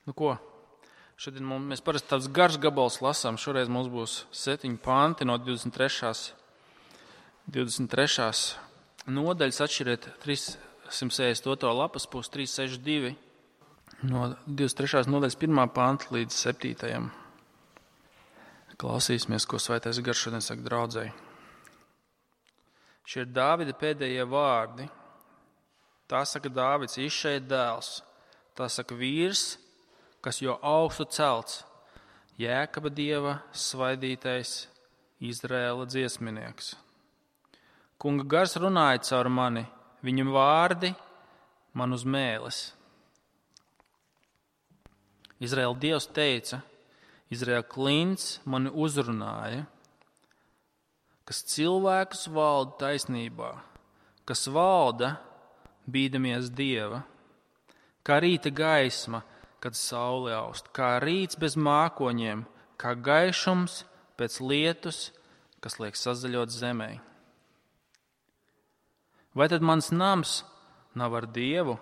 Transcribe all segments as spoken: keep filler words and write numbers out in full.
Nu ko, šodien mums, mēs parasti tāds garš gabals lasām. Šoreiz mums būs septiņi panti no divdesmit trešās nodaļas. Atšķiriet trīssimt sešdesmit otro lapas pusi, trīs sešdesmit divi no divdesmit trešās nodaļas pirmā panta līdz septītajam. Klausīsimies, ko Svētais Gars šodien saka draudzei. Šie ir Dāvida pēdējie vārdi. Tā saka Dāvids, Išeja dēls. Tā saka vīrs, kas jau augstu celts, Jēkaba dieva svaidītais, Izraēla dziesminieks. Kunga gars runāja caur mani, viņa vārdi man uz mēles. Izraēla dievs teica, Izraēla klints mani uzrunāja, kas cilvēkus valda taisnībā, kas valda bīdamies dieva, kā rīta gaisma, kad saule aust, kā rīts bez mākoņiem, kā gaišums pēc lietus, kas liek sazaļot zemē. Vai tad mans nams nav ar dievu?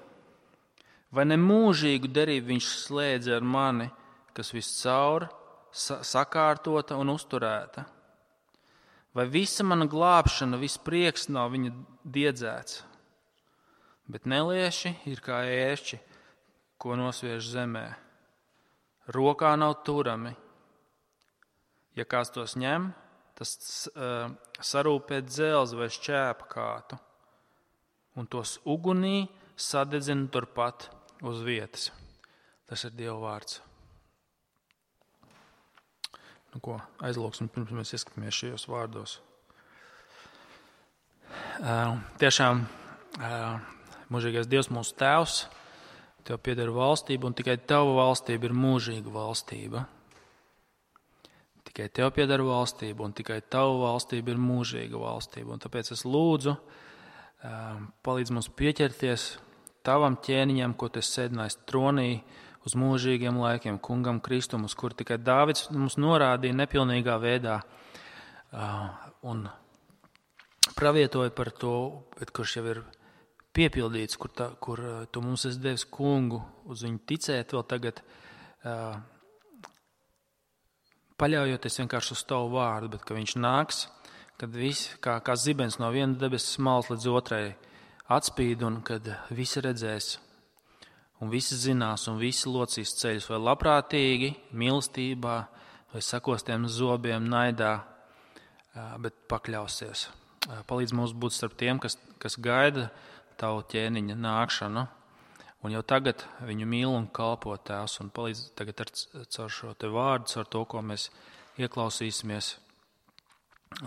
Vai ne mūžīgu derību viņš slēdza ar mani, kas viscaur sakārtota un uzturēta? Vai visa mana glābšana, viss prieks nav viņa diedzēts? Bet nelieši ir kā ērči, ko nosviež zemē. Rokā nav turami. Ja kāds tos ņem, tas uh, sarūpē dzelzi vai šķēpa kātu, un tos ugunī sadedzina turpat uz vietas. Tas ir Dieva vārds. Nu ko, aizlūksim, pirms mēs ieskatāmies šajos vārdos. Uh, tiešām uh, mūžīgais Dievs mūsu tēvs, Tev pieder valstība, un tikai Tava valstība ir mūžīga valstība. Tikai Tev pieder valstība, un tikai Tava valstība ir mūžīga valstība. Un tāpēc es lūdzu, uh, palīdz mums pieķerties Tavam ķēniņam, ko Tu esi sēdinājis tronī, uz mūžīgiem laikiem, kungam Kristum, uz kur tikai Dāvids mums norādīja nepilnīgā veidā uh, un pravietoja par to, bet kurš jau ir piepildīts, kur, tā, kur uh, Tu mums esi devis kungu, uz viņu ticēt vēl tagad, uh, paļaujoties vienkārši uz Tavu vārdu, bet ka viņš nāks, kad viss, kā, kā zibens no viena debesis malas līdz otrai atspīd, un kad visi redzēs, un visi zinās, un visi locīs ceļus, vai labprātīgi, mīlestībā, vai sakostiem zobiem, naidā, bet pakļausies. Palīdz mums būt starp tiem, kas, kas gaida Tavu ķēniņa nākšanu, un jau tagad viņu mīl un kalpo Tēvs, un palīdz tagad ar, caur šo te vārdu, caur to, ko mēs ieklausīsimies,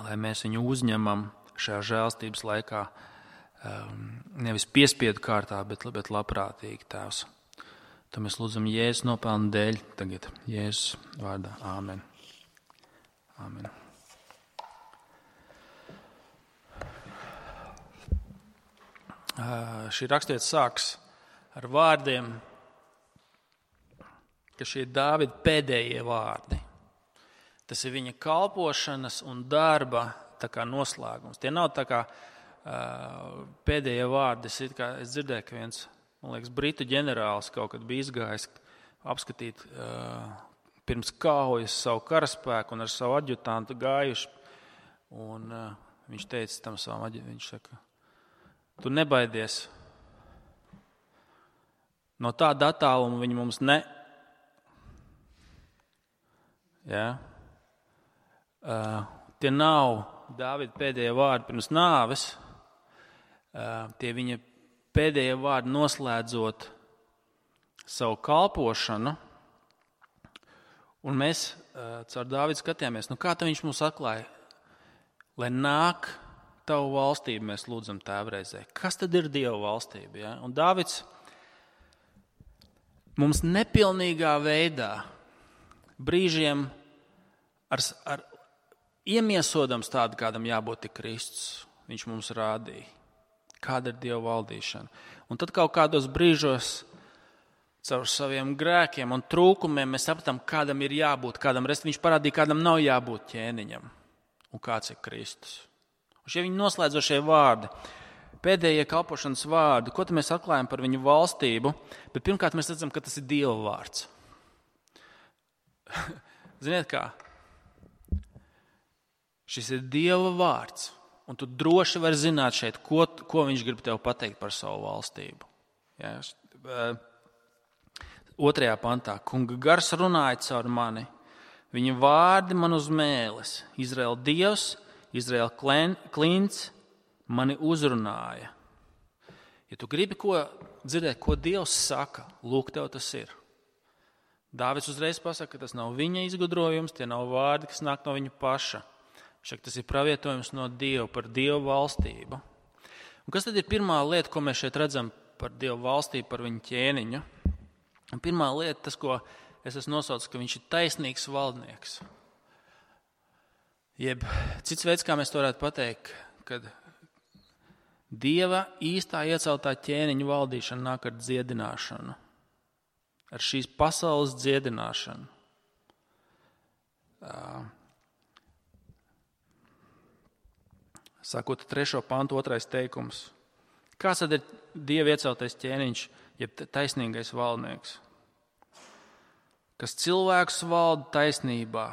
lai mēs viņu uzņemam šajā žēlstības laikā, nevis piespiedu kārtā, bet, bet labprātīgi, Tēvs. To mēs lūdzam Jēzus nopelnu dēļ tagad, Jēzus vārdā. Āmen. Āmen. Uh, šī rakstvieta sāks ar vārdiem, ka šie ir Dāvida pēdējie vārdi. Tas ir viņa kalpošanas un darba tā kā noslēgums. Tie nav tā kā Uh, pēdējie vārdi. Es, kā, es dzirdēju, ka viens, man liekas, britu ģenerālis kaut kad bija izgājis apskatīt uh, pirms kaujas savu karaspēku un ar savu adjutantu gājuši. Un uh, viņš teica tam savam adjutantam, viņš saka, tu nebaidies. No tāda attāluma viņi mums ne... Jā. Uh, tie nav Dāvida pēdējie vārdi pirms nāves. Uh, tie viņa pēdējie vārdi noslēdzot savu kalpošanu, un mēs uh, caur Dāvidu skatījāmies, nu kā tad viņš mums atklāja, lai nāk Tavu valstību, mēs lūdzam Tēvreizē. Kas tad ir Dieva valstība? Ja? Un Dāvids mums nepilnīgā veidā, brīžiem ar, ar iemiesodams tādu, kādam jābūt tik Kristus, viņš mums rādīja. Kāda ir Dieva valdīšana. Un tad kaut kādos brīžos caur saviem grēkiem un trūkumiem mēs sapratām, kādam ir jābūt, kādam rest. Viņš parādīja, kādam nav jābūt ķēniņam un kāds ir Kristus. Un šie viņa noslēdzošie vārdi, pēdējie kalpošanas vārdi, ko tad mēs atklājam par viņu valstību, bet pirmkārt mēs redzam, ka tas ir Dieva vārds. ziniet kā, šis ir Dieva vārds, un tu droši vari zināt šeit, ko, ko viņš grib tev pateikt par savu valstību. Ja, otrajā pantā, kunga gars runāja caur mani, viņa vārdi man uz mēles, Izraēla Dievs, Izraēla klints mani uzrunāja. Ja tu gribi ko dzirdēt, ko Dievs saka, lūk, tev tas ir. Dāvids uzreiz pasaka, ka tas nav viņa izgudrojums, tie nav vārdi, kas nāk no viņa paša. Šeit tas ir pravietojums no Dieva par Dievu valstību. Un kas tad ir pirmā lieta, ko mēs šeit redzam par Dievu valstību, par viņu ķēniņu? Un pirmā lieta, tas, ko es esmu nosaucis, ka viņš ir taisnīgs valdnieks. Jeb cits veids, kā mēs to varētu pateikt, kad Dieva īstā ieceltā ķēniņa valdīšana nāk ar dziedināšanu, ar šīs pasaules dziedināšanu. Sākot trešo pantu, otrais teikums. Kāds tad ir Dieva ieceltais ķēniņš, jeb taisnīgais valdnieks? Kas cilvēks valda taisnībā,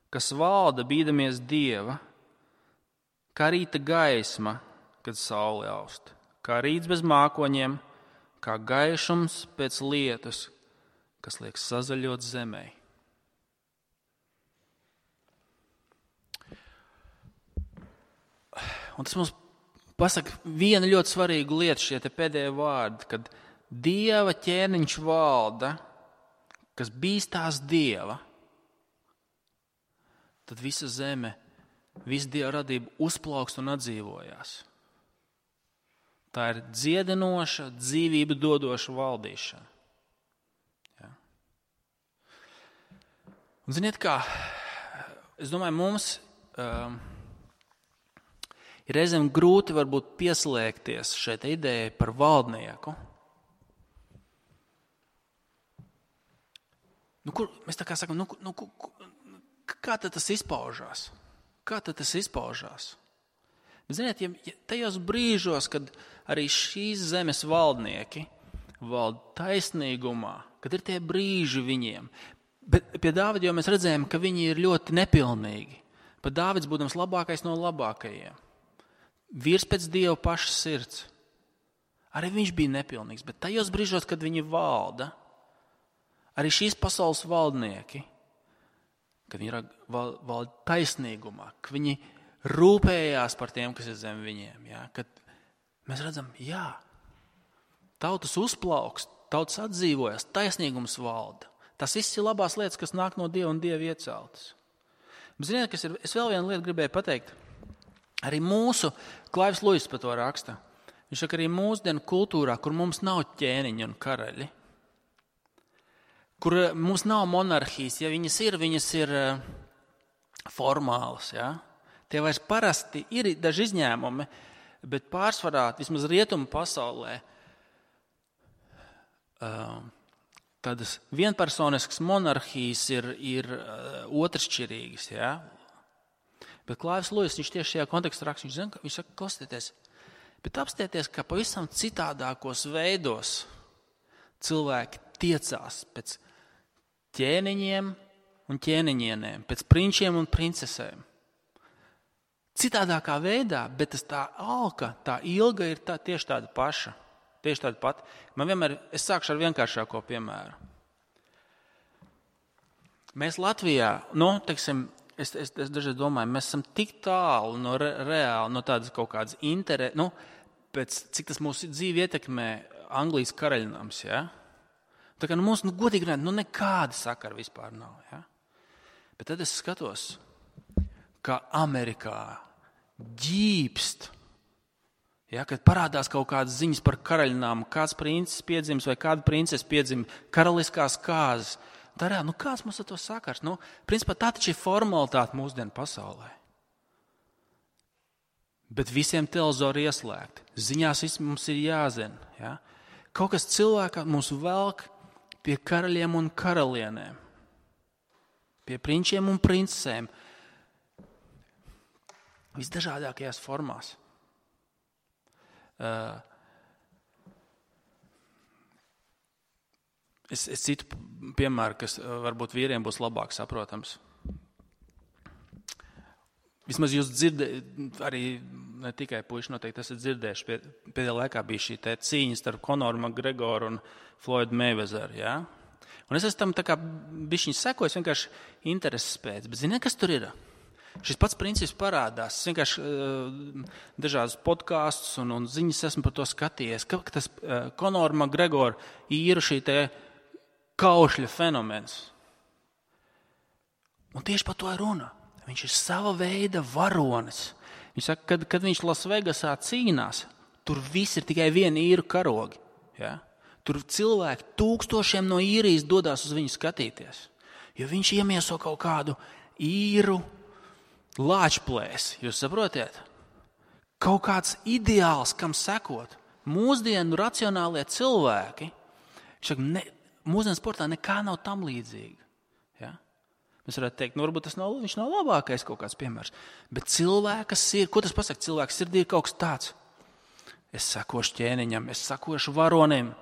kas valda bīdamies Dieva, kā rīta gaisma, kad saule aust, kā rīts bez mākoņiem, kā gaišums pēc lietus, kas liek sazaļot zemē. Un tas mums pasaka vienu ļoti svarīgu lietu, šie te pēdējie vārdi, kad Dieva ķēniņš valda, kas bīstās Dieva, tad visa zeme, visa Dieva radība uzplaukst un atdzīvojās. Tā ir dziedinoša, dzīvību dodoša valdīšana. Ja. Un ziniet kā, es domāju, mums um, ir reizēm grūti varbūt pieslēgties šeit idejai par valdnieku. Nu, kur, mēs tā kā sakam, nu, nu, kā tad tas izpaužās? Kā tad tas izpaužās? Ziniet, ja tajos brīžos, kad arī šīs zemes valdnieki valda taisnīgumā, kad ir tie brīži viņiem, bet pie Dāvida jau mēs redzējām, ka viņi ir ļoti nepilnīgi. Pat Dāvids būdams labākais no labākajiem. Vīrs pēc Dieva paša sirds. Arī viņš bija nepilnīgs, bet tajos brīžos, kad viņi valda, arī šīs pasaules valdnieki, kad viņi valda taisnīgumā, ka viņi rūpējās par tiem, kas ir zem viņiem. Ja? Kad mēs redzam, jā, tautas uzplaukst, tautas atdzīvojas, taisnīgums valda. Tas viss ir labās lietas, kas nāk no Dieva un Dieva ieceltas. Bet ziniet, kas ir, es vēl vienu lietu gribēju pateikt. Arī mūsu, Klaivs Luiss par to raksta, viņš saka, arī mūsdienu kultūrā, kur mums nav ķēniņi un karaļi, kur mums nav monarhijas, ja viņas ir, viņas ir formālas, ja? Tie vairs parasti ir daži izņēmumi, bet pārsvarā, vismaz rietumu pasaulē, tādas vienpersoniskas monarhijas ir, ir otršķirīgas. Ja? Bet Klaivs Luiss, viņš tieši šajā kontekstā raksta, viņš, zina, viņš saka, klausieties, bet apstieties, ka pavisam citādākos veidos cilvēki tiecās pēc ķēniņiem un ķēniņienēm, pēc prinčiem un princesēm. Citādākā veidā, bet tas tā alka, tā ilga ir tā, tieši tāda paša. Tieši tāda pati. Man vienmēr, es sākšu ar vienkāršāko piemēru. Mēs Latvijā, nu, teiksim, es, es, es dažreiz domāju, mēs esam tik tālu no re, reāli, no tādas kaut kādas interē, nu, pēc cik tas mūsu dzīvi ietekmē Anglijas karaļnams, ja? Tā kā nu, mums, nu, godīgi runāt, nu, nekāda sakara vispār nav, ja? Bet tad es skatos, kā Amerikā ģīpst, ja, kad parādās kaut kādas ziņas par karaļnām, kāds princis piedzims vai kāda princese piedzim, karaliskās kāzas. Tā reāli, nu kāds mums ar to sakars? Nu, principā tā taču ir formalitāte mūsdienu pasaulē. Bet visiem televizori ieslēgti. Ziņās viss mums ir jāzina. Ja? Kaut kas cilvēkā mums velk pie karaļiem un karalienēm. Pie prinčiem un princesēm. Visdažādākajās formās. Uh, es, es citu piemēru, kas varbūt vīriem būs labāk saprotams. Vismaz jūs dzirdējat, arī ne tikai puiši noteikti esat dzirdējuši, pie, pēdējā laikā bija šī te cīņa starp Conoru McGregoru un Floydu Mayweatheru, jā? Un es esmu tam tā kā bišķiņ sekojis, vienkārši intereses pēc, bet ziniet, kas tur ir? Šis pats princips parādās. Es vienkārši uh, dažādas podkāstus un, un ziņas esmu par to skatījies, ka, ka tas uh, Conoru McGregoru īra šī te kaušļa fenomens. Un tieši par to ir runa. Viņš ir sava veida varonis. Viņš saka, kad, kad viņš Lasvegasā cīnās, tur viss ir tikai viena īru karogi. Ja? Tur cilvēki tūkstošiem no īrijas dodās uz viņu skatīties. Jo viņš iemieso kaut kādu īru lāčplēsi. Jūs saprotiet? Kaut kāds ideāls, kam sekot. Mūsdienu racionālie cilvēki, saka, ne, mūsdienu sportā nekā nav tam līdzīga. Ja? Mēs varētu teikt, nu varbūt tas nav, viņš nav labākais kaut kāds piemērs. Bet cilvēka sirdi, ko tas pasaka? Cilvēka sirdī ir kaut kas tāds. Es sekošu ķēniņam, es sekošu varonim,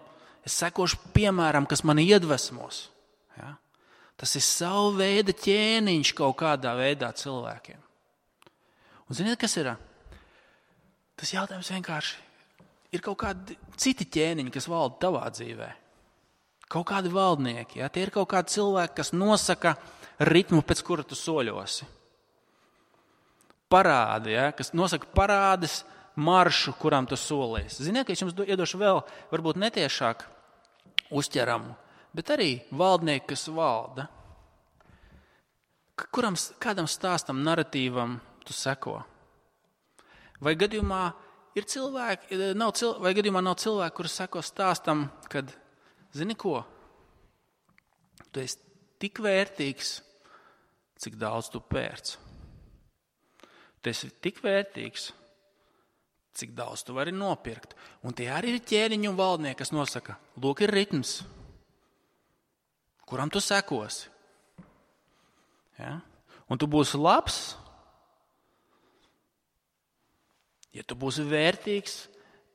es sekošu piemēram, kas mani iedvesmos. Ja? Tas ir savu veidu ķēniņš kaut kādā veidā cilvēkiem. Un ziniet, kas ir? Tas jautājums vienkārši ir kaut kādi citi ķēniņi, kas valda tavā dzīvē. Kaut kādi valdnieki, ja? Tie ir kaut kādi cilvēki, kas nosaka ritmu, pēc kura tu soļosi. Parādi, ja? Kas nosaka parādes maršu, kurām tu solies. Ziniet, ka es jums iedošu vēl, varbūt netiešāk uzķeramu, bet arī valdnieki, kas valda. Kuram, kādam stāstam, naratīvam tu seko? Vai gadījumā ir cilvēki, nav cilvēki, vai gadījumā nav cilvēki, kuri seko stāstam, kad, zini ko, tu esi tik vērtīgs, cik daudz tu pērc. Tu esi tik vērtīgs, cik daudz tu vari nopirkt. Un tie arī ir ķēniņi un valdnieki, kas nosaka, lūk ir ritms, kuram tu sekosi. Ja? Un tu būsi labs, ja tu būsi vērtīgs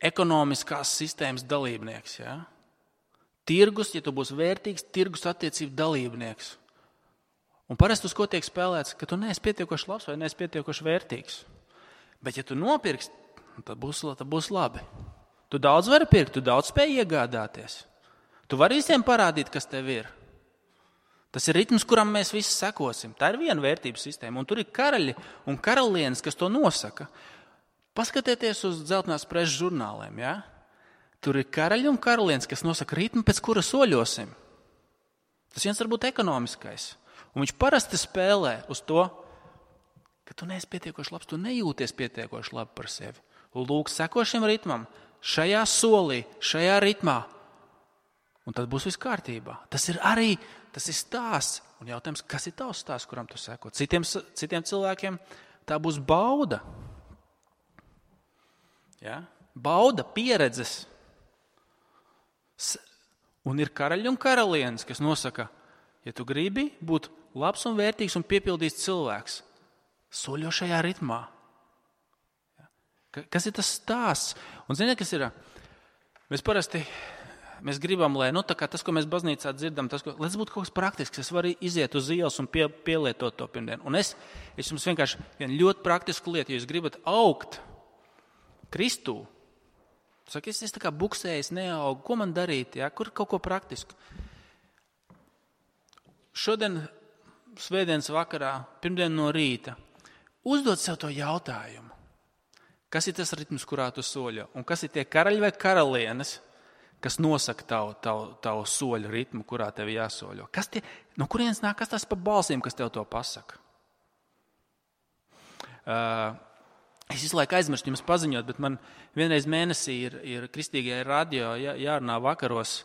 ekonomiskās sistēmas dalībnieks. Ja? Tirgus, ja tu būsi vērtīgs tirgus attiecību dalībnieks. Un parasti uz ko tiek spēlēts, ka tu neesi pietiekoši labs vai neesi pietiekoši vērtīgs. Bet ja tu nopirksi, tad būs, tad būs labi. Tu daudz vari pirkt, tu daudz spēj iegādāties. Tu vari visiem parādīt, kas tev ir. Tas ir ritms, kuram mēs visi sekosim. Tā ir viena vērtības sistēma. Un tur ir karaļi un karalienes, kas to nosaka. Paskatieties uz dzeltenās preses žurnāliem. Ja? Tur ir karaļi un karalienes, kas nosaka ritmu, pēc kura soļosim. Tas viens var būt ekonomiskais. Un viņš parasti spēlē uz to, ka tu neesi pietiekoši labs, tu nejūties pietiekoši labi par sevi. Lūk, seko šim ritmam, šajā solī, šajā ritmā. Un tad būs viss kārtībā. Tas ir arī, tas ir stāsts. Un jautājums, kas ir tavs stāsts, kuram tu seko? Citiem, citiem cilvēkiem tā būs bauda. Ja? Bauda, pieredzes. Un ir karaļi un karalienes, kas nosaka, ja tu gribi būt labs un vērtīgs un piepildīts cilvēks, soļo šajā ritmā. Kas ir tas stāsts? Un ziniet, kas ir? Mēs parasti mēs gribam, lai nu, tā kā tas, ko mēs baznīcā dzirdam, tas, ko, lai tas būtu kaut kas praktisks, es varu iziet uz ielas un pie, pielietot to pirmdien. Un es, es jums vienkārši vienu ļoti praktisku lietu, ja jūs gribat augt Kristū, saka, es, es tā kā buksējis, neaugu, ko man darīt, ja? Kur kaut ko praktisku? Šodien, svētdienas vakarā, pirmdien no rīta, uzdod sev to jautājumu. Kas ir tas ritms, kurā tu soļo? Un kas ir tie karaļi vai karalienes, kas nosaka tavu, tavu, tavu soļu ritmu, kurā tev jāsoļo? Kas tie, no kurienes nāk, kas tas pa balsīm, kas tev to pasaka? Uh, es visu laiku aizmirstu jums paziņot, bet man vienreiz mēnesī ir, ir kristīgajā radio jā, jārunā vakaros.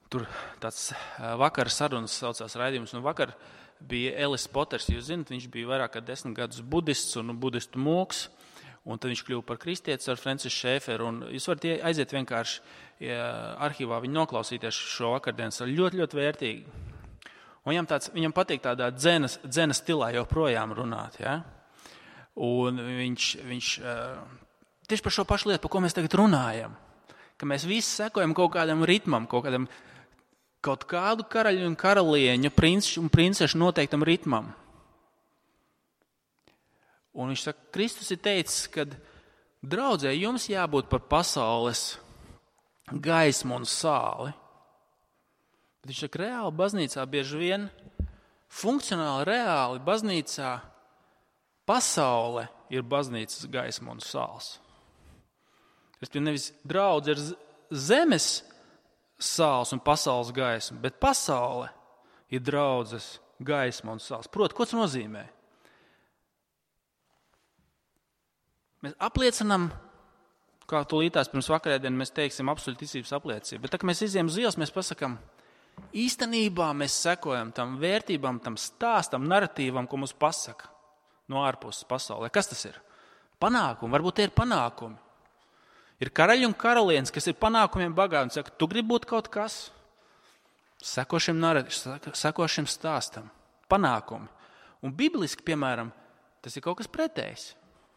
Tur tāds vakara sarunas saucās raidījums, un vakar bija Ellis Poters, jūs zināt, viņš bija vairāk kā desmit gadus budists un budistu mūks, un tad viņš kļuva par kristietis ar Francis Šēferu, un jūs varat aiziet vienkārši ja, arhīvā viņu noklausīties šo vakardienas, ļoti, ļoti vērtīgi. Un viņam, tāds, viņam patīk tādā dzenas, dzenas stilā joprojām runāt, ja? Un viņš, viņš tieši par šo pašu lietu, par ko mēs tagad runājam, ka mēs visi sekojam kaut kādam ritmam, kaut kādam kaut kādu karaļu un karalieņu, princi un princešu noteiktam ritmam. Un viņš saka, Kristus ir teicis, ka draudzē jums jābūt par pasaules gaismu un sāli. Bet viņš saka, reāli baznīcā bieži vien, funkcionāli, reāli baznīcā pasaule ir baznīcas gaisma un sāls. Es pie nevis draudze ir zemes sāls un pasaules gaisma, bet pasaule ir draudzes gaisma un sāls. Proti, ko tas nozīmē? Mēs apliecinām, kā tūlītās pirms vakarēdien mēs teiksim absolūti ticības apliecību, bet tā, kad mēs izējām uz ielas, mēs pasakām, īstenībā mēs sekojam tam vērtībām, tam stāstam, naratīvam, ko mums pasaka no ārpuses pasaulē. Kas tas ir? Panākumi, varbūt tie ir panākumi. Ir karaļi un karalienes, kas ir panākumiem bagāti un saka, tu gribi būt kaut kas? Seko šim, naratīvam, seko šim stāstam. Panākumi. Un bibliski, piemēram, tas ir kaut kas pretējs.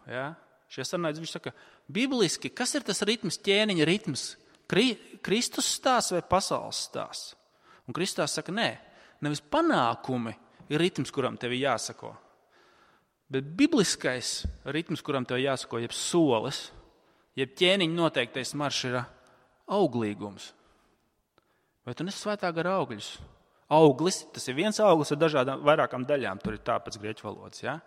Ja? Šie sarunājas, viņš saka, bibliski, kas ir tas ritms, ķēniņa ritms? Kri, Kristus stāsts vai pasaules stāsts? Un Kristus saka, nē, nevis panākumi ir ritms, kuram tev ir jāsako. Bet bibliskais ritms, kuram tev ir jāsako, jeb solis, jeb ķēniņa noteiktais maršs ir auglīgums. Vai tu nesi svētā gara augļus? Auglis, tas ir viens auglis ar dažādām vairākām daļām, tur ir tā pēc grieķu valodas, ja?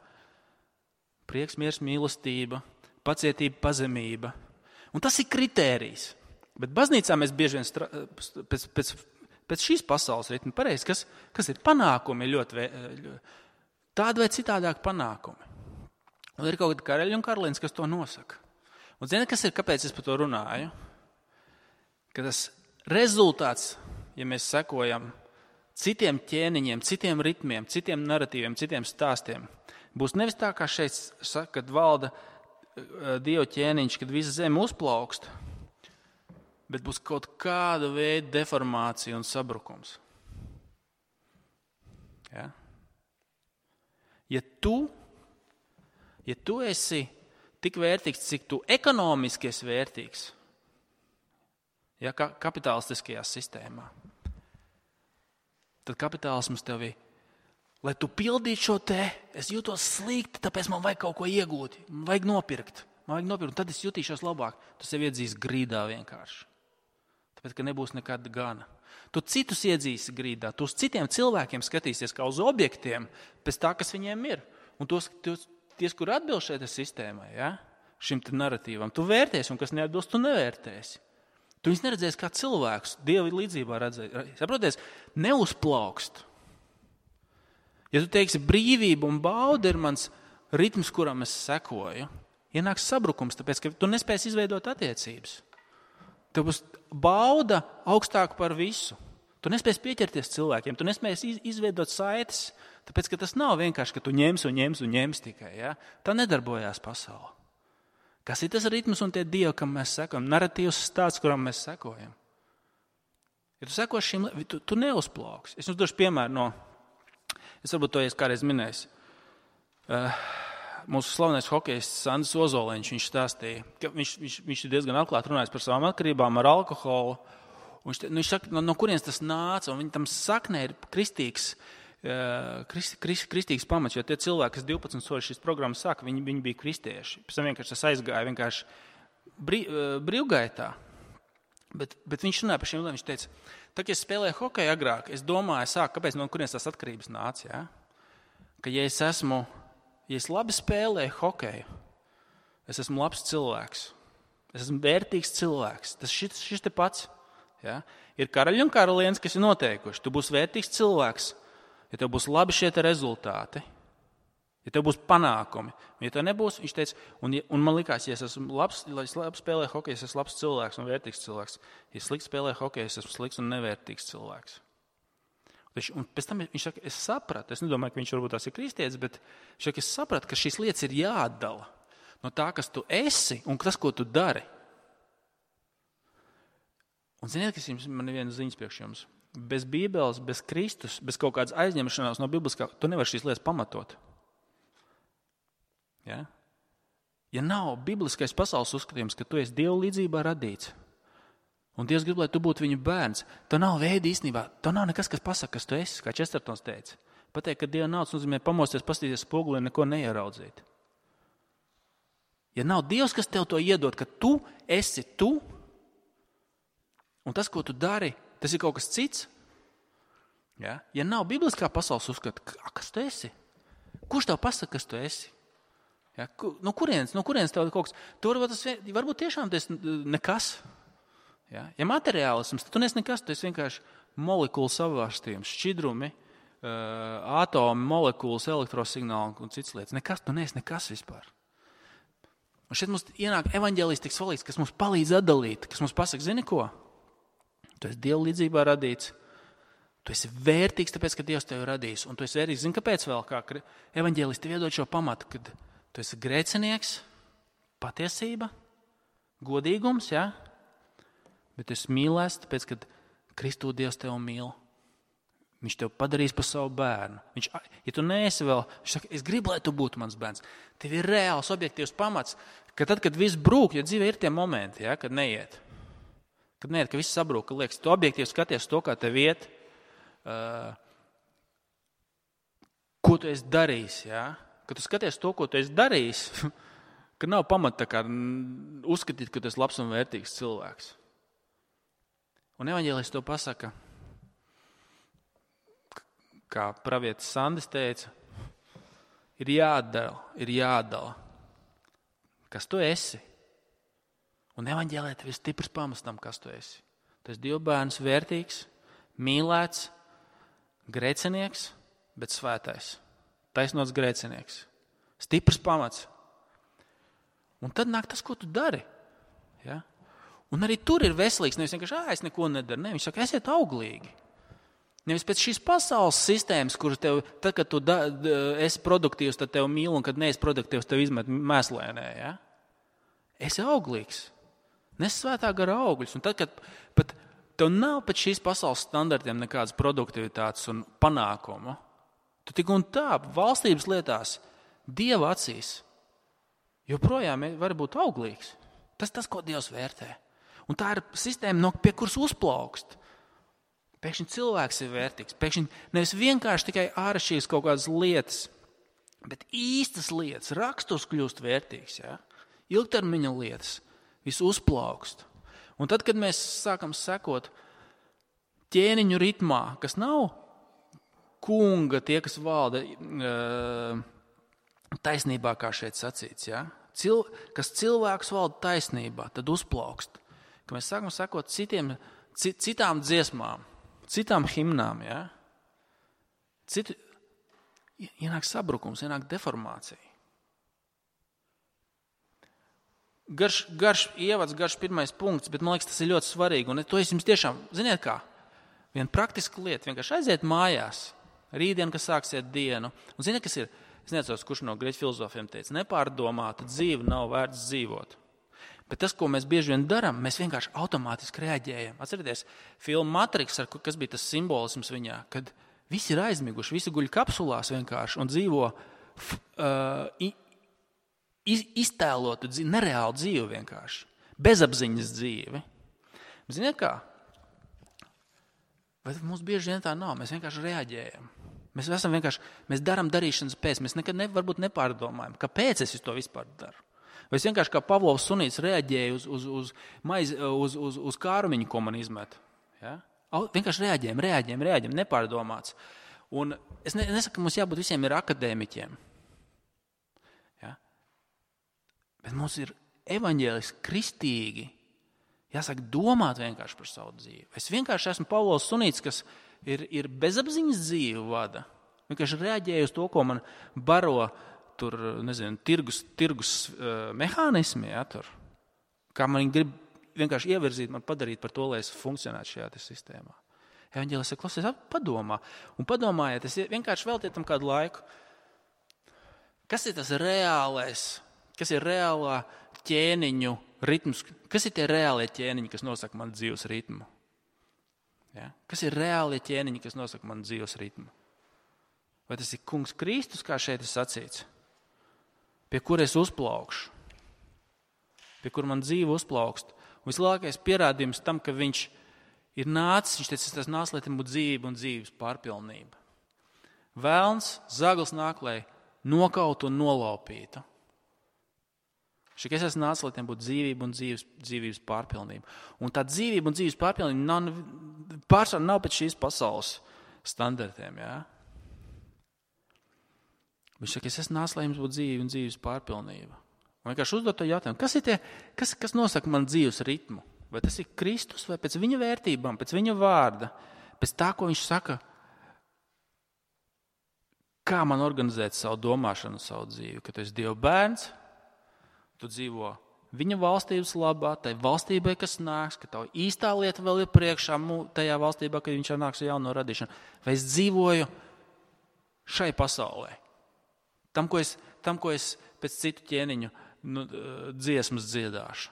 Prieks, miers, mīlestība, pacietība, pazemība. Un tas ir kritērijs. Bet baznīcā mēs bieži vien stra... pēc, pēc, pēc šīs pasaules ritma pareizi, kas, kas ir panākumi, ļoti vē... tādi vai citādāk panākumi. Un ir kaut kādi karaļi un karalienes, kas to nosaka. Un zini, kas ir, kāpēc es par to runāju? Ka tas rezultāts, ja mēs sekojam citiem ķēniņiem, citiem ritmiem, citiem naratīviem, citiem stāstiem, būs nevis tā, kā šeit saka, kad valda Dieva ķēniņš, kad visa zeme uzplaukst, bet būs kaut kāda veida deformācija un sabrukums. Ja? Ja tu, ja tu esi tik vērtīgs, cik tu ekonomiski esi vērtīgs, ja, kapitalistiskajā sistēmā, tad kapitālisms tevi, lai tu pildītu šo te, es jūtos slikti, tāpēc man vajag kaut ko iegūt, man vajag nopirkt, man vajag nopirkt, un tad es jutīšos labāk. Tu sev iedzīs grīdā vienkārši, tāpēc, ka nebūs nekad gana. Tu citus iedzīs grīdā, tu uz citiem cilvēkiem skatīsies kā uz objektiem pēc tā, kas viņiem ir. Un tos, tos, ties, kur atbilst šeit sistēmai, ja? Šim te naratīvam, tu vērtēsi, un kas neatbilst, tu nevērtēsi. Tu viņus neredzēsi kā cilvēkus, Dieva līdzībā redzēsi. Saproties, neuzplaukst. Ja tu teiksi, brīvība un bauda ir mans ritms, kuram es sekoju, ienāks sabrukums, tāpēc, ka tu nespēsi izveidot attiecības. Tev būs bauda augstāk par visu. Tu nespēsi pieķerties cilvēkiem, tu nespēsi izveidot saites, tāpēc, ka tas nav vienkārši, ka tu ņems un ņems un ņems tikai. Ja? Tā nedarbojās pasaule. Kas ir tas ritms un tie dievi, kam mēs sekojam? Naratīvs stāsts, kuram mēs sekojam. Ja tu seko šim, tu, tu neuzplauks. Es jums došu piemēru no, es varbūt to es kādreiz minējis. Uh, mūsu slavenais hokejists Andris Ozoliņš, viņš stāstīja, ka viņš, viņš, viņš ir diezgan atklāti runājis par savām atkarībām ar alkoholu. Viņš, nu, viņš saka, no, no kurienes tas nāca, un viņa tam saknē ir kristīgs, Krist, krist, kristīgs pamats, jo tie cilvēki, kas divpadsmit soļi šīs programmas sāka, viņi, viņi bija kristieši. Pēc tam vienkārši tas aizgāja vienkārši brī, brīvgaitā. Bet, bet viņš runāja par šiem lietām, viņš teica, tā, ka es spēlēju hokeju agrāk, es domāju, sāk, kāpēc no kurienes tās atkarības nāca, ja? Ka ja es esmu, ja es labi spēlēju hokeju, es esmu labs cilvēks, es esmu vērtīgs cilvēks, tas šis, šis te pats, ja? Ir karaļi un karalienes, kas ir noteikuši, tu būsi vērtīgs cilvēks, ja tev būs labi šie te rezultāti, ja tev būs panākumi, un ja tev nebūs, viņš teica, un, un man likās, ja es esmu labs, lai es labi spēlēju hokeju, es esmu labs cilvēks un vērtīgs cilvēks, ja es slikti spēlēju hokeju, es esmu slikts un nevērtīgs cilvēks. Un pēc tam viņš saka, es sapratu, es nedomāju, ka viņš varbūt tās ir kristietis, bet viņš saka, es sapratu, ka šīs lietas ir jāatdala no tā, kas tu esi un tas, ko tu dari. Un ziniet, kas jums, man ir viena ziņas priekš jums. Bez Bībeles, bez Kristus, bez kaut kādas aizņemšanās no bibliskā, tu nevari šīs lietas pamatot. Ja? Ja nav bibliskais pasaules uzskatījums, ka tu esi Dieva līdzībā radīts, Un Dievs grib, lai tu būtu viņa bērns. Tev nav veidi īstenībā, tev nav nekas, kas pasaka, kas tu esi, kā Čestertons teica. Pateikt, ka Dieva nav, tas nozīmē pamosties, paskatīties spogulī un neko neieraudzīt. Ja nav Dievs, kas tev to iedod, ka tu esi tu, un tas, ko tu dari, tas ir kaut kas cits. Ja, ja nav bibliskā pasaules uzskata, kas tu esi? Kurš tev pasaka, kas tu esi? Ja, no kurienes, no kurienes tev kaut kas? Tu varbūt, tas, varbūt tiešām tas nekas. Ja, ja materiālisms, tad tu nes nekas, tu esi vienkārši molekulu savārstījums, šķidrumi, uh, atomi, molekulas, elektrosignāli un citas lietas. Nekas, tu nes nekas vispār. Un šeit mums ienāk evaņģēlijs tik svarīgs, kas mums palīdz atdalīt, kas mums pasaka, zini ko? Tu esi Dieva līdzībā radīts, tu esi vērtīgs, tāpēc, ka Dievs tevi radījis. Un tu esi vērtīgs, zini, kāpēc vēl, kā evaņģēlijs tev iedod šo pamatu, kad tu esi grēcinieks, patiesība, godīgums, ja? Bet tu esi mīlēs, tāpēc, ka Kristū Dievs tevi mīl. Viņš tev padarīs par savu bērnu. Viņš, ja tu neesi vēl, viņš saka, es gribu, lai tu būtu mans bērns. Tev ir reāls, objektīvs pamats, ka tad, kad viss brūk, jo dzīvē ir tie momenti, ja, kad neiet. Kad neiet, ka viss sabrūk, ka liekas, tu objektīvi skaties to, kā tev iet, uh, ko tu esi darījis, ja. Kad tu skaties to, ko tu esi darījis, ka nav pamata tā kā uzskatīt, ka tu esi labs un vērtīgs cilvēks. Un evaņģēlijs to pasaka, kā pravietis Sandis teica, ir jādala, ir jādala, kas tu esi. Un evaņģēlijā tev ir stiprs pamats tam, kas tu esi. Tu esi Dieva bērns, vērtīgs, mīlēts, grēcinieks, bet svētais. Taisnots grēcinieks. Stiprs pamats. Un tad nāk tas, ko tu dari. Ja? Un arī tur ir veselīgs, nevis vienkārši, ā, es neko nedaru. Ne, viņš saka, esiet auglīgi. Nevis pēc šīs pasaules sistēmas, kur tev, tad, kad tu da, esi produktīvs, tad tev mīl, un kad neesi produktīvs, tev izmet mēslēnē. Ja? Esi auglīgs. Nes svētā gara augļus. Un tad, kad pat tev nav pēc šīs pasaules standartiem nekādas produktivitātes un panākumu, tu tik un tā valstības lietās Dieva acīs joprojām var būt auglīgs. Tas tas, ko Dievs vērtē. Un tā ir sistēma, no pie kuras uzplaukst. Pēkšņi cilvēks ir vērtīgs. Pēkšņi nevis vienkārši tikai āršķirīgas kaut kādas lietas, bet īstas lietas, raksturs kļūst vērtīgs. Ja? Ilgtermiņa lietas, viss uzplaukst. Un tad, kad mēs sākam sekot ķēniņu ritmā, kas nav kunga, tie, kas valda taisnībā, kā šeit sacīts, ja? Cil, kas cilvēks valda taisnībā, tad uzplaukst. Kad mēs sākam sekot citiem, citām dziesmām, citām himnām, ja? Citu, ienāk sabrukums, ienāk deformācija. Garš, garš ievads, garš pirmais punkts, bet man liekas, tas ir ļoti svarīgi. Un to es jums tiešām, ziniet kā, viena praktiska lieta, vienkārši aiziet mājās, rītdien, kas sāksiet dienu. Un ziniet, kas ir, es neatceros, kurš no grieķu filozofiem teica, nepārdomāta dzīve nav vērts dzīvot. Bet tas, ko mēs bieži vien darām, mēs vienkārši automātiski reaģējam. Atcerieties, filmu Matrix, kas bija tas simbolisms viņā, kad visi ir aizmiguši, visi guļ kapsulās vienkārši un dzīvo uh, iz, iztēlotu dzīvi, nereālu dzīvi vienkārši. Bezapziņas dzīvi. Ziniet kā? Vai mums bieži vien tā nav? Mēs vienkārši reaģējam. Mēs esam vienkārši, mēs darām darīšanas pēc, mēs nekad ne, varbūt nepārdomājam, kāpēc es to vispār daru. Vai es vienkārši kā Pavlovs sunīts reaģēju uz, uz, uz, maiz, uz, uz, uz kārumiņu, ko man izmet. Ja? Vienkārši reaģējam, reaģējam, reaģējam, nepārdomāts. Un es ne, nesaku, ka mums jābūt visiem ir akadēmiķiem. Ja? Bet mums ir evaņģēliski kristīgi jāsāk domāt vienkārši par savu dzīvi. Es vienkārši esmu Pavlovs sunīts, kas ir, ir bezapziņas dzīve vada. Vienkārši reaģēju uz to, ko man baro tur, nezinu, tirgus, tirgus uh, mehānismi, ja, tur. Kā man grib vienkārši ievirzīt, man padarīt par to, lai es funkcionētu šajā sistēmā. Evaņģēlis saka, klausies, padomā. Un padomājiet, es vienkārši veltiet tam kādu laiku. Kas ir tas reālais, kas ir reālā ķēniņu ritms? Kas ir tie reālie ķēniņi, kas nosaka man dzīves ritmu? Ja? Kas ir reālie ķēniņi, kas nosaka man dzīves ritmu? Vai tas ir kungs Kristus, kā šeit ir sacīts? Pie kur es uzplaukšu? Pie kur man dzīve uzplaukst? Vislielākais pierādījums tam, ka viņš ir nācis, viņš teica, tas nāc, lai tam būtu dzīvība un dzīves pārpilnība. Velns, zaglis nāk, lai nokautu un nolaupītu. Šī, es esmu nācis, lai tiem būtu dzīvība un dzīves, dzīvības pārpilnība. Un tā dzīvība un dzīves pārpilnība nav, pārsvarā nav pēc šīs pasaules standartiem. Ja? Viņš saka, es esmu nācis, lai jums būtu dzīvība un dzīves pārpilnība. Un vienkārši uzdot to jautājumu, kas ir tie, kas, kas nosaka man dzīves ritmu? Vai tas ir Kristus, vai pēc viņa vērtībām, pēc viņa vārda, pēc tā, ko viņš saka, kā man organizēt savu domāšanu, savu dzīvi, ka tu esi Dieva bērns, tu dzīvo viņa valstības labā, tai valstībai, kas nāks, ka tavu īstā lieta vēl ir priekšā tajā valstībā, kad viņš nāks ar jauno radīšanu. Vai es dzīvoju šai pasaulē? Tam, ko es, tam, ko es pēc citu ķēniņu nu, dziesmas dziedāšu.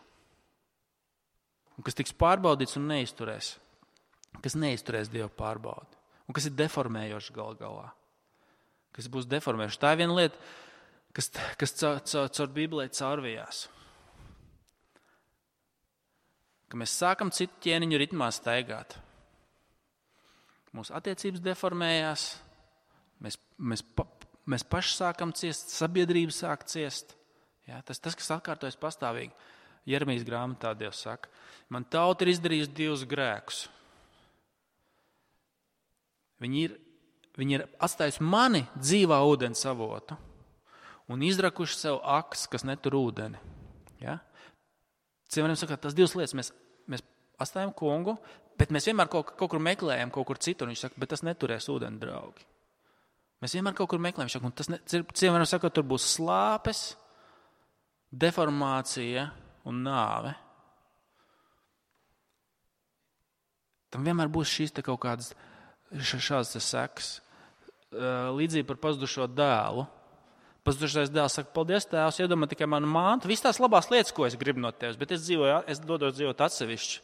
Un kas tiks pārbaudīts un neizturēs. Kas neizturēs Dieva pārbaudi. Un kas ir deformējošs gal galā. Kas būs deformējošs. Tā ir viena lieta, kas, kas caur, caur, caur Bībelē caurvījās. Ka mēs sākam citu ķēniņu ritmā staigāt. Mūsu attiecības deformējās. Mēs, mēs, pa, mēs paši sākam ciest, sabiedrība sāk ciest. Ja, tas, tas, kas atkārtojas pastāvīgi. Jeremijas grāmatā Dievs saka, man tauta ir izdarījusi divus grēkus. Viņi ir, viņi ir atstājusi mani dzīvā ūdens avotu un izrakuši sev akas, kas netur ūdeni. Ja? Cilvēkiem saka, tas divas lietas. Mēs, mēs atstājam kungu, bet mēs vienmēr kaut, kaut kur meklējam, kaut kur citur. Viņš saka, bet tas neturēs ūdeni, draugi. Mēs vienmēr kaut kur meklējam. Saka, un tas ne, cilvēkiem saka, tur būs slāpes, deformācija un nāve. Tam vienmēr būs šīs te kaut kādas šādas sekas. Līdzīgi par pazudušo dēlu. Pazudušais dēls saka, paldies tēvs, iedomā tikai manu māntu, visas tās labās lietas, ko es gribu no tevis, bet es dzīvoju, es dodos dzīvot atsevišķi.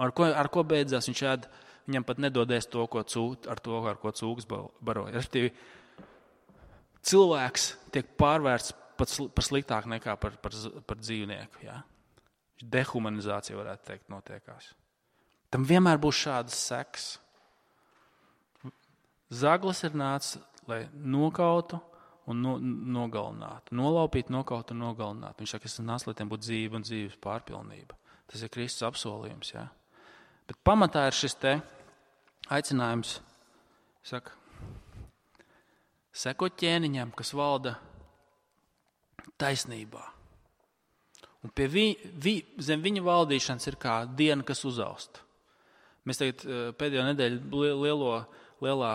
Ar ko, ar ko beidzās viņš ēd, viņam pat nedodies to, ko cūk, ar to, ar ko cūks baroja. Respektīvi, cilvēks tiek pārvērts pat par sliktāk nekā par, par, par dzīvnieku. Ja? Dehumanizācija, varētu teikt, notiekās. Tam vienmēr būs šādas sekas. Zaglis ir nācis, lai nokautu un no, nogalinātu. Nolaupītu, nokautu un nogalinātu. Viņš saka, es nācu, lai tiem būtu dzīve un dzīves pārpilnība. Tas ir Kristus apsolījums. Ja? Bet pamatā ir šis te aicinājums, saka, sekot ķēniņam, kas valda taisnībā. Un pie vi, vi, zem viņa valdīšanas ir kā diena, kas uzaust. Mēs tagad pēdējo nedēļu lielo, lielā,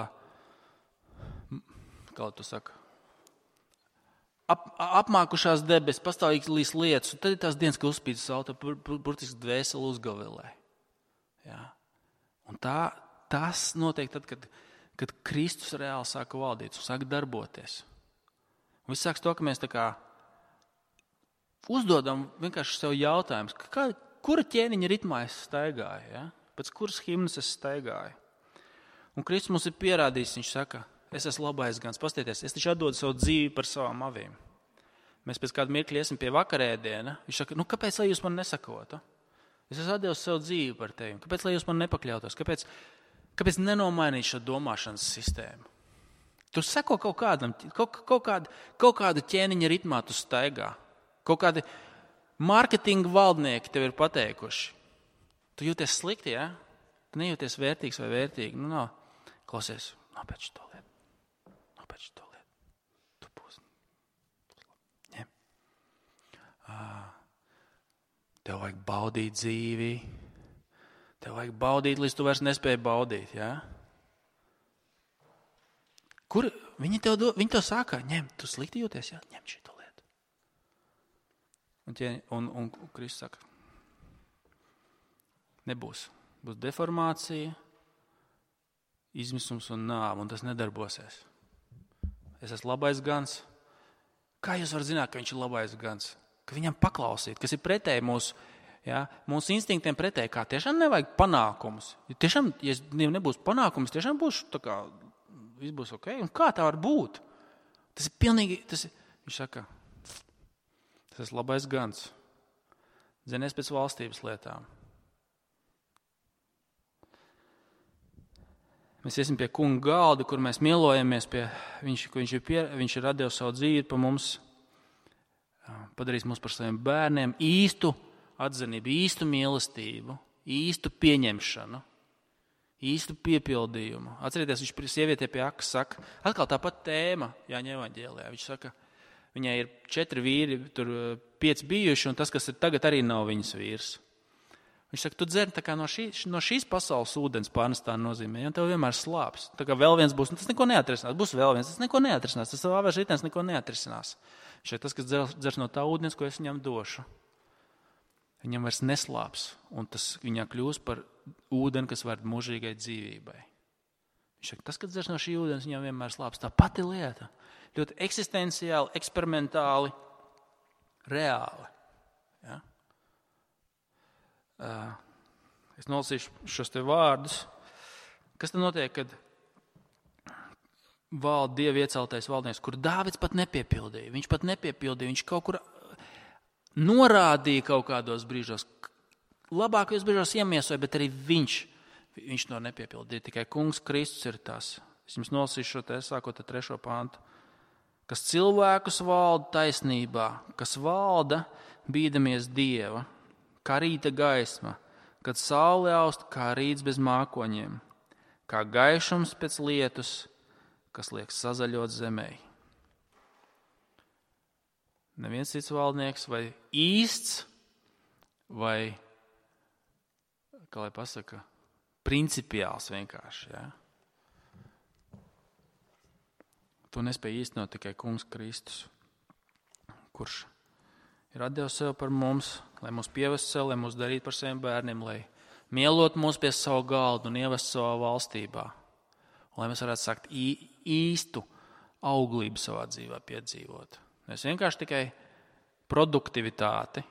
kā tu saka, ap, apmākušās debesis, pastāvīgas līs lietas, un tad ir tās dienas, ka uzspīd saule, burtiski dvēseli uzgavilē. Ja? Un tā, tas notiek tad, kad, kad Kristus reāli sāka valdīt un sāka darboties. Un viss sāks to, ka mēs tā kā uzdodam vienkārši sev jautājumus, kā, kura ķēniņa ritmā es staigāju, ja? Pēc kuras himnas es staigāju. Un Kristus mums ir pierādījis, viņš saka, es esmu labais gans, pastieties, es taču atdodu savu dzīvi par savām avīm. Mēs pēc kādu mirkli iesim pie vakarēdiena, viņš saka, nu kāpēc, lai jūs man nesakotu? Es esmu atdevis savu dzīvi par tevi, kāpēc, lai jūs man nepakļautos, kāpēc, kāpēc nenomainīt šo domāšanas sistēmu? Tu sako kaut kādam, kaut, kaut, kādu, kaut kādu ķēniņa ritmā tu staigā. Kaut kādi mārketinga valdnieki tev ir pateikuši. Tu jūties slikti, ja? Tu nejūties vērtīgs vai vērtīgi. Nu, no, klausies, nopēc to lietu. Nopēc to lietu. Tu būsi. Ja. Tev vajag baudīt dzīvi. Tev vajag baudīt, līdz tu vairs nespēji baudīt, ja? Kur viņi tev, do, viņi tev sākā, ņem, tu slikti jūties, ja? Ņem šito lietu. Un, tie, un, un Kristus saka, nebūs. Būs deformācija, izmisums un nāve, un tas nedarbosies. Es esmu labais gans. Kā jūs varat zināt, ka viņš ir labais gans? Ka viņam paklausīt, kas ir pretēji mūsu, ja, mūsu instinktiem pretēji, kā tiešām nevajag panākumus. Ja tiešām, ja nebūs panākumus, tiešām būs tā kā, viss būs ok. Un kā tā var būt? Tas ir pilnīgi, tas ir, viņš saka, tas ir labais gans. Dzenies pēc valstības lietām. Mēs iesim pie kunga galda, kur mēs mielojamies pie viņš, viņš ir, pie, viņš ir radījis savu dzīvi pa mums, padarījis mūs par saviem bērniem, īstu atzinību, īstu mīlestību, īstu pieņemšanu, īstu piepildījumu. Atcerieties, viņš sievietē pie akas saka, atkal tāpat tēma Jāņa evaņģēlijā. Viņš saka, viņai ir četri vīri, tur pieci bijuši, un tas, kas ir tagad, arī nav viņas vīrs. Viņš saka, tu dzer tā kā no, šī, no šīs pasaules ūdens pārnestā nozīmē, un tev vienmēr slāps. Tā kā vēl viens būs, tas neko neatrisinās, būs vēl viens, tas neko neatrisinās, tas savā vērš ritens neko neatrisinās. Viņš saka, tas, kas dzer, dzers no tā ūdens, ko es viņam došu, viņam vairs neslāps, un tas viņā kļūs par ūdeni, kas var mūžīgai dzīvībai. Viņš saka, tas, kas dzers no šī ūdens, viņam vienmēr slāps. Tā pati lieta, ļoti eksistenciāli, eksperimentāli, reāli. Ja? Uh, es nolasīšu šos te vārdus. Kas tad notiek, kad valda Dieva ieceltais valdnieks, kur Dāvids pat nepiepildīja? Viņš pat nepiepildīja, viņš kaut kur norādīja kaut kādos brīžos, labākajos brīžos iemiesoja, bet arī viņš, viņš to nepiepildīja. Tikai kungs Kristus ir tas. Es jums nolasīšu šo te, sākot ar trešo pantu. Kas cilvēkus valda taisnībā, kas valda bīdamies Dieva, kā rīta gaisma, kad saule aust, kā rīts bez mākoņiem, kā gaišums pēc lietus, kas liek sazaļot zemē. Neviens cits valdnieks vai īsts, vai, kā lai pasaka, principiāls vienkārši. Ja? To nespēja īstenot tikai kungs Kristus, kurš ir atdevis sev par mums, lai mūs pievest sev, lai mūs darītu par saviem bērniem, lai mielot mūs pie savu galdu un ievest savā valstībā. Un lai mēs varētu sakt īstu auglību savā dzīvē piedzīvot. Nevis vienkārši tikai produktivitāti,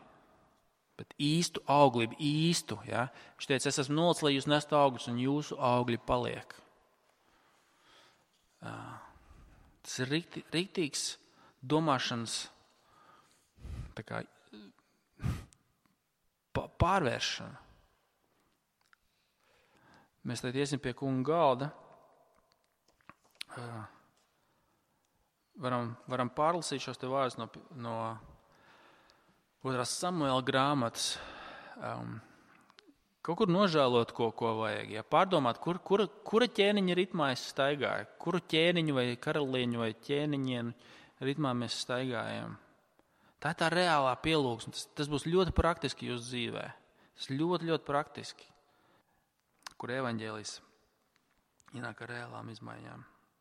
bet īstu auglību, īstu. Ja? Viņš teica, es esmu nolicis, lai jūs nestu augļus un jūsu augļi paliek. Tas ir rikti, riktīgs domāšanas tā kā pārvēršana. Mēs tad iesim pie kunga galda. Varam, varam pārlasīt šos te vārdus no, no otrās Samuēla grāmatas. Um, kaut kur nožēlot, ko, ko vajag. Ja? Pārdomāt, kur, kura, kura ķēniņa ritmā es staigāju. Kuru ķēniņu vai karalieņu vai ķēniņiem ritmā mēs staigājam. Tā ir tā reālā pielūgsme. Tas, tas būs ļoti praktiski jūsu dzīvē. Tas ļoti, ļoti praktiski. Kur evaņģēlijs ienāk ar reālām izmaiņām.